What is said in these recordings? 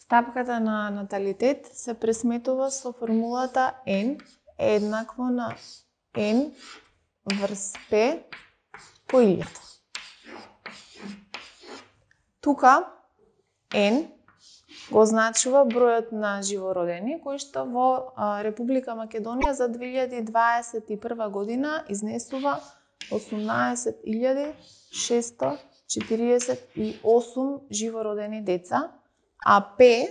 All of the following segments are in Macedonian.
Стапката на наталитет се пресметува со формулата N е еднакво на N врз P по 1000. Тука N го означува бројот на живородени кои што во Република Македонија за 2021 година изнесува 18.648 живородени деца, а P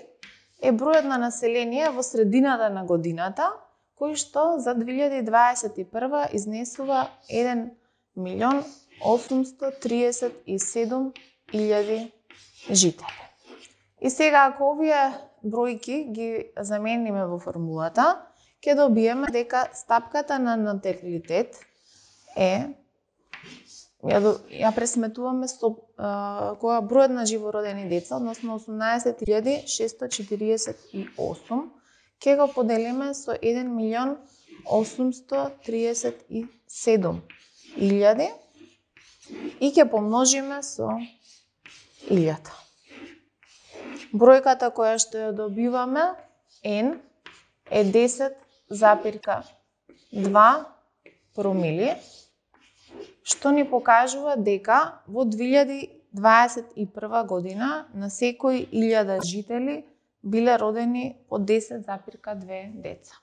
е бројот на население во средината на годината, кој што за 2021 изнесува 1.837.000 жители. И сега, ако овие бројки ги замениме во формулата, ќе добиеме дека стапката на наталитет е ја пресметуваме со кога бројот на живородени деца, односно 18.648, ќе го поделиме со 1.837.000 и ќе помножиме со 1000. Бројката која што ја добиваме, N, е 10,2 промили, што ни покажува дека во 2021 година на секој 1000 жители биле родени по 10,2 деца.